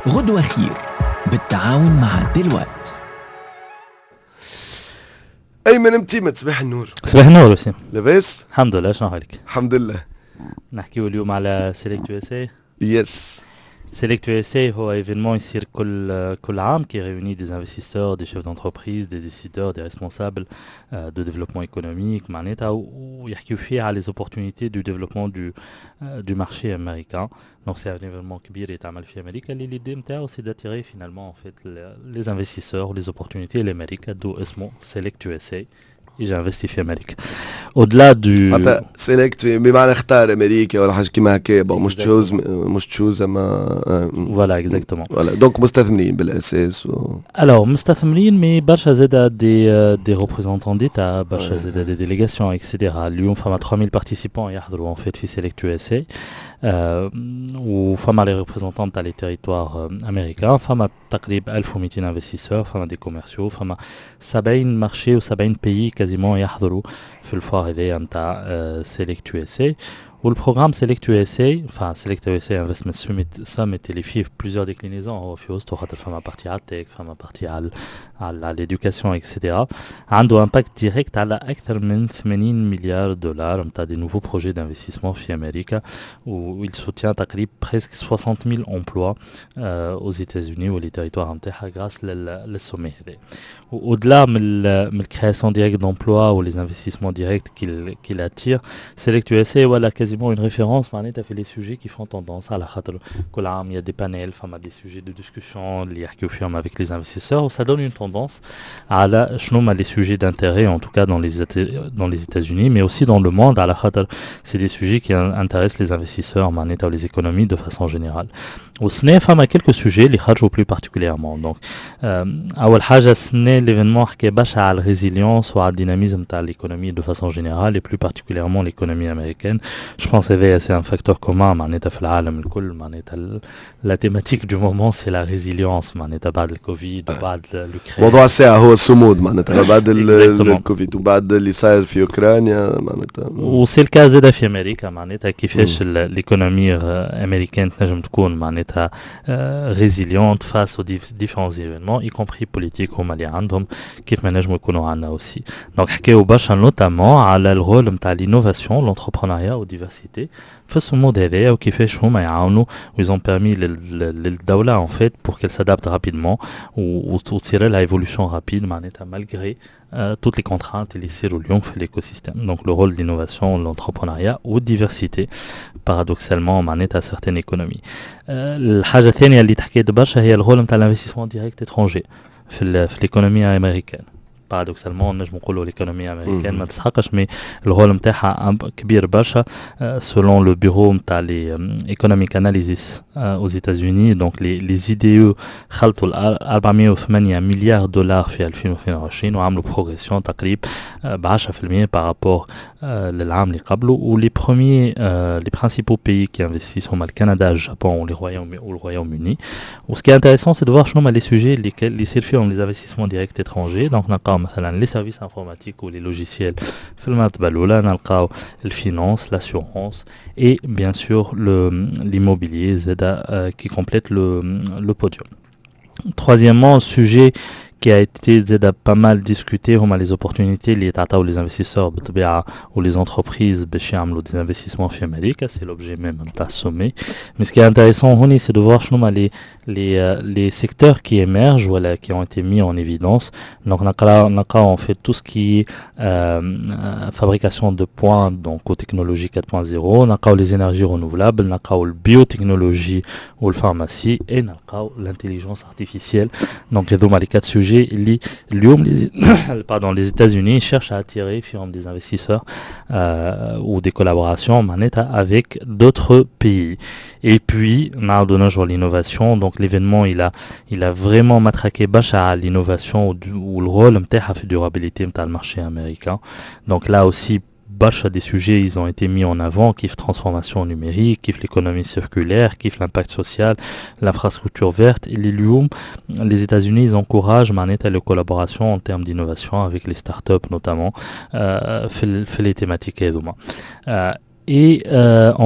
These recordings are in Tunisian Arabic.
غدوة خير بالتعاون مع Deloitte. ايمن متيمت، صباح النور. صباح النور وسيم. لاباس؟ الحمد لله، شنو حالك؟ الحمد لله. نحكيو اليوم على Select USA. Yes. Select USA هو événement يصير كل عام qui réunit des investisseurs, des chefs d'entreprise, des décideurs, des responsables de développement économique معناتها، ويحكيو فيه على les opportunités du développement du marché américain. Donc c'est un événement كبير يتعمل في امريكا، اللي l'idée نتاعو c'est d'attirer finalement en fait les investisseurs, les opportunités لامريكا، d'où اسمه Select USA، يجي investir في امريكا. Au-delà du حتى select بمعنى اختار امريكا ولا حاجة كيما هكا، bon مش choose، مش choose اما Voilà, exactement. Voilà, donc مستثمرين بالاساس و Alors مستثمرين، mais برشا زادا des représentants d'État، برشا زادا des délégations et cetera. اليوم فما 3000 participants يحضروا en fait في Select USA، وفما les représentants تاع les territoires américains، فما تقريبا 1200 investisseurs، فما des commerciaux، فما 70 marchés و 70 pays quasiment يحضروا في ال foire هذايا نتاع Select USA. وال programme Select USA, enfin Select USA Investment Summit، اللي فيه plusieurs déclinaisons هو في وسطه، خاطر فما partie على ال tech، فما partie على l'éducation et cetera، عنده impact direct على اكثر من 80 مليار دولار نتاع des nouveaux projets d'investissement في امريكا، و il soutient تقريبا presque 60 000 emplois aux États-Unis و les territoires نتاعها grâce لل sommet هذا. Au-delà من ال création directe d'emplois ou les investissements directs qu'il attire, Select USA voilà quasiment une référence معناتها في les sujets qui font tendance، على خاطر كل عام il y a des panels، فما des sujets de discussion اللي يحكيو فيهم avec les investisseurs، و ça donne une tendance على شنو هما les sujets d'intérêt en tout cas dans les États-Unis mais aussi dans le monde، على خاطر c'est des sujets qui intéressent les investisseurs معناتها les économies de façon générale. والسنة فما quelques sujets اللي خرجوا plus particulièrement. Donc أول حاجة، السنة l'événement حكى برشا على ال résilience وعلى ال dynamisme تاع l'économie de façon générale et plus particulièrement l'économie américaine. Je pense que c'est un facteur commun معناتها في العالم الكل، معناتها la thématique du moment c'est la résilience معناتها بعد الكوفيد وبعد l'Ukraine. موضوع الساعة هو الصمود معناتها بعد الكوفيد وبعد اللي صاير في اوكرانيا معناتها. و c'est le cas زاد في امريكا، معناتها كيفاش l'économie américaine تنجم تكون معناتها résiliente face aux différents événements, y compris politiques، هما اللي عندهم كيف ما نجموا يكونوا عندنا aussi. Donc حكاو برشا notamment على ال rôle نتاع l'innovation, l'entrepreneuriat و diversité في الصمود هذايا، وكيفاش هما يعاونوا و ils ont permis للدولة en fait pour qu'elle s'adapte rapidement وتصير لها évolution rapide معناتها malgré toutes les contraintes اللي يصيروا اليوم في l'écosystème. Donc le rôle de l'innovation, l'entrepreneuriat ou diversité paradoxalement معناتها certaines économies. الحاجة الثانية اللي تحكيت برشا هي ال rôle نتاع l'investissement direct étranger في l'économie américaine. Paradoxalement نجم نقولوا l'économie américaine ما تسحقش، mais ال rôle نتاعها كبير برشا. Selon le bureau نتاع les Economic Analysis aux États-Unis, donc les IDE خلطوا 408 مليار دولار في 2022، وعملوا progression تقريب ب 10% par rapport للعام اللي قبله. و les premiers, les principaux pays qui investissent هما الكندا، الجابون و le Royaume-Uni. و ce qui est intéressant, c'est de voir شنو هما les sujets اللي يصير فيهم les investissements directs étrangers. Donc نلقاو مثلا les services informatiques ou les logiciels في المرتبة الأولى، نلقاو ال finance, l'assurance et bien sûr l'immobilier زادا qui complète le podium. Troisièmement, sujet qui a été زادا pas mal discuté، هما les opportunités اللي يتعطاو les investisseurs بالطبيعة ou les entreprises باش يعملوا des investissements في أمريكا. C'est l'objet même نتاع ال sommet. Mais ce qui est intéressant هوني, c'est de voir شنو هما les secteurs qui émergent ولا qui ont été mis en évidence. Donc نلقاو en fait tout ce qui est fabrication de pointe, donc aux technologies 4.0، نلقاو les énergies renouvelables، نلقاو ال biotechnologie ou la pharmacie et نلقاو l'intelligence artificielle. Donc هذوما les quatre sujets اللي اليوم pardon, les États-Unis cherchent à attirer فيهم des investisseurs ou des collaborations معناتها avec d'autres pays. Et puis نعاودو نرجعوا l'innovation. Donc l'événement il a vraiment matraqué برشا على l'innovation و le rôle نتاعها في durabilité نتاع ال marché américain. Donc là aussi برشا des sujets ils ont été mis en avant، كيف transformation numérique، كيف l'économie circulaire، كيف l'impact social، l'infrastructure verte. اللي اليوم les États-Unis ils encouragent معناتها les collaborations en termes d'innovation avec les startups notamment في les thématiques هذوما. Et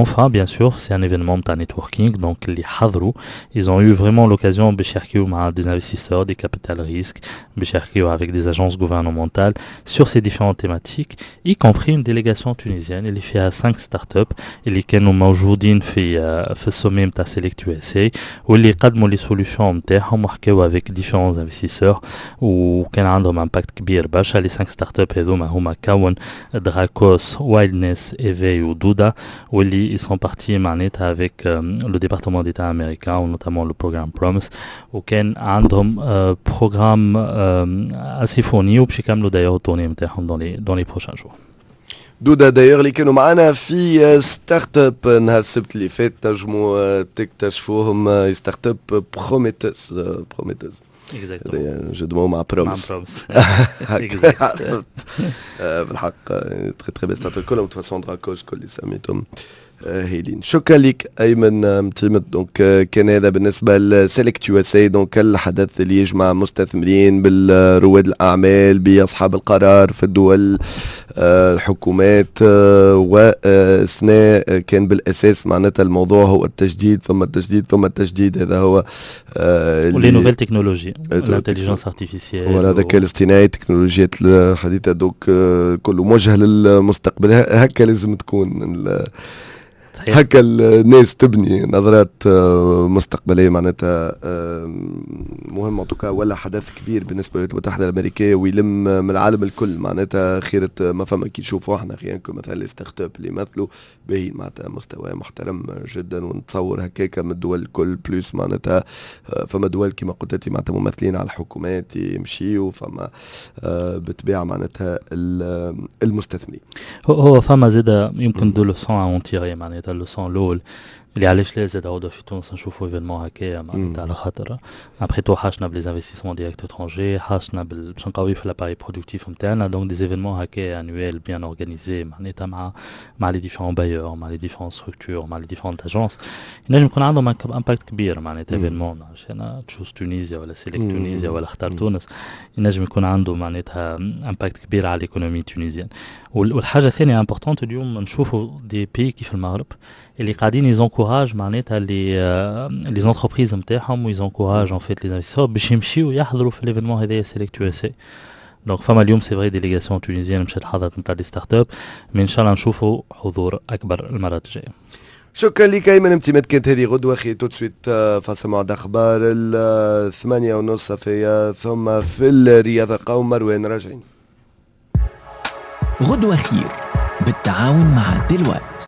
enfin, bien sûr, c'est un événement de networking, donc اللي حضروا, ils ont eu vraiment l'occasion باش يحكيو مع des investisseurs, des capital risques, باش يحكيو avec des agences gouvernementales sur ces différentes thématiques, y compris une délégation tunisienne اللي فيها 5 startups اللي كانوا موجودين في ال sommet نتاع Select USA واللي قدموا les solutions نتاعهم وحكاو avec différents investisseurs وكان عندهم impact كبير برشا. les 5 startups هذوما هما كون, Dracos, Wildness, Evey و Duda, واللي ils sont partis معناتها avec le département d'État américain, notamment le programme Promise, وكان عندهم programme assez fourni وباش يكملوا d'ailleurs ال tournée نتاعهم dans les prochains jours. دودا d'ailleurs اللي كانوا معنا في startup نهار السبت اللي فات, تنجموا تكتشفوهم, startup prometteuse prometteuse. jeu de mots مع promise. بالحق très très belle startup كلهم, de toute façon Dracos كل اللي سميتهم هايلين. شكرا لك ايمن متيمت. donc كان هذا بالنسبة ل Select USA, donc الحدث اللي يجمع مستثمرين بالرواد الاعمال باصحاب القرار في الدول, الحكومات, وسنة كان بالاساس معناتها الموضوع هو التجديد ثم التجديد ثم التجديد, هذا هو. و les nouvelles technologies, l'intelligence artificielle. ولا الذكاء الاصطناعي, التكنولوجيات الحديثه, donc كله موجه للمستقبل. هكا لازم تكون, هكا الناس تبني نظرات مستقبلية معناتها. مهم en tout cas, ولا حدث كبير بالنسبة للولايات المتحدة الامريكية ويلم من العالم الكل معناتها خيره ما فما. كي نشوفوا احنا خيانكم مثلا les startups اللي يمثلوا باهي, معناتها مستوى محترم جدا, ونتصور هكاك من الدول الكل, plus معناتها فما دول كما قلت انت معناتها ممثلين على الحكومات يمشيوا, فما بالطبيعة معناتها المستثمرين. هو فما زاد يمكن deux leçons à en tirer. معناتها ال leçon الاول اللي علاش لا زاد عودة في تونس نشوفوا événement هكايا, معناتها على خاطر après tout حاجتنا ب les investissements directs étrangers, حاجتنا باش نقوي في l'appareil productif نتاعنا. donc des événements هكايا annuels bien organisés معناتها مع les différents bailleurs, مع les différentes structures, مع les différentes agences, ينجم يكون عندهم impact كبير. معناتها événement عشان Choose Tunisia ولا Select Tunisia ولا اختار تونس ينجم يكون عنده معناتها impact كبير على l'économie tunisienne. والحاجة الثانية importante, اليوم نشوفوا des pays كيف المغرب اللي قاعدين ils encouragent معناتها les entreprises نتاعهم و ils encouragent en fait les investisseurs باش يمشيو يحضروا في l'événement هذايا Select USA. donc فما اليوم c'est vrai délégation tunisienne مشات حضرت نتاع des startups, mais ان شاء الله نشوفوا حضور اكبر المرات الجاية. شكرا لك ايمن امتماد. كانت هذه غدوه خير. tout de suite فاصل مع اخبار 8:30 في ثم في الرياضة قوم مروان راجعين. غدوه خير بالتعاون مع دلوقتي.